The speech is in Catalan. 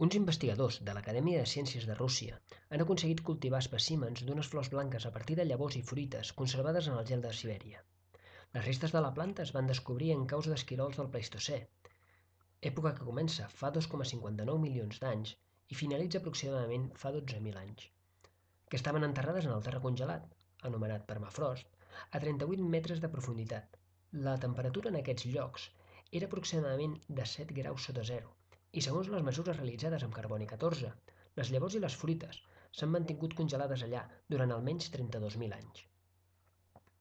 Uns investigadors de l'Acadèmia de Ciències de Rússia han aconseguit cultivar espècimens d'unes flors blanques a partir de llavors i fruites conservades en el gel de Sibèria. Les restes de la planta es van descobrir en caus d'esquirols del Pleistocè, època que comença fa 2,59 milions d'anys i finalitza aproximadament fa 12.000 anys, que estaven enterrades en el terra congelat, anomenat permafrost, a 38 metres de profunditat. La temperatura en aquests llocs era aproximadament de 7 graus sota zero, i segons les mesures realitzades amb carboni 14, les llavors i les fruites s'han mantingut congelades allà durant almenys 32.000 anys.